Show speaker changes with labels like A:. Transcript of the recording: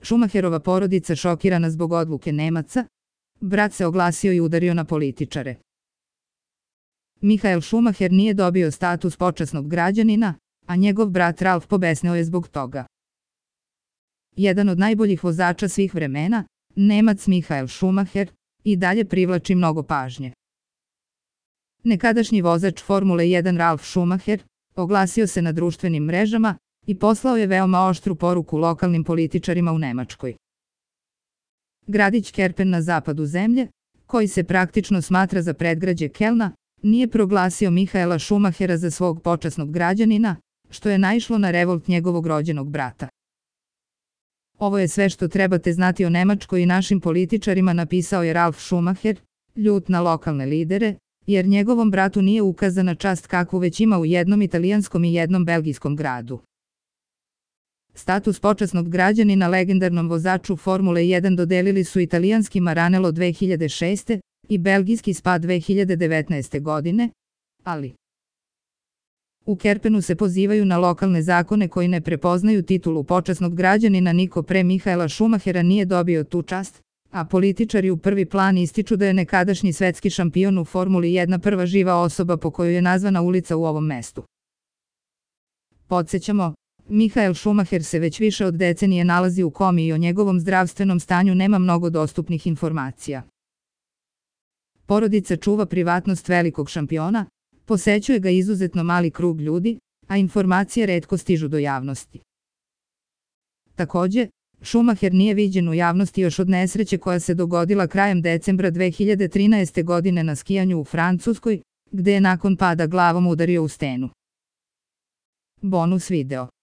A: Schumacherova porodica šokirana zbog odluke Nemaca, brat se oglasio i udario na političare. Michael Schumacher nije dobio status počasnog građanina, a njegov brat Ralf pobesneo je zbog toga. Jedan od najboljih vozača svih vremena, Nemac Michael Schumacher, i dalje privlači mnogo pažnje. Nekadašnji vozač Formule 1 Ralf Schumacher oglasio se na društvenim mrežama i poslao je veoma oštru poruku lokalnim političarima u Nemačkoj. Gradić Kerpen na zapadu zemlje, koji se praktično smatra za predgrađe Kelna, nije proglasio Michaela Schumachera za svog počasnog građanina, što je naišlo na revolt njegovog rođenog brata. Ovo je sve što trebate znati o Nemačkoj i našim političarima, napisao je Ralf Schumacher, ljut na lokalne lidere, jer njegovom bratu nije ukazana čast kakvu već ima u jednom italijanskom i jednom belgijskom gradu. Status počasnog građanina legendarnom vozaču Formule 1 dodelili su italijanski Maranello 2006. i belgijski Spa 2019. godine, ali u Kerpenu se pozivaju na lokalne zakone koji ne prepoznaju titulu počasnog građanina. Niko pre Michaela Schumachera nije dobio tu čast, a političari u prvi plan ističu da je nekadašnji svetski šampion u Formuli 1 prva živa osoba po kojoj je nazvana ulica u ovom mestu. Podsjećamo, Michael Schumacher se već više od decenije nalazi u komi i o njegovom zdravstvenom stanju nema mnogo dostupnih informacija. Porodica čuva privatnost velikog šampiona, posećuje ga izuzetno mali krug ljudi, a informacije retko stižu do javnosti. Takođe, Schumacher nije viđen u javnosti još od nesreće koja se dogodila krajem decembra 2013. godine na skijanju u Francuskoj, gde je nakon pada glavom udario u stenu. Bonus video.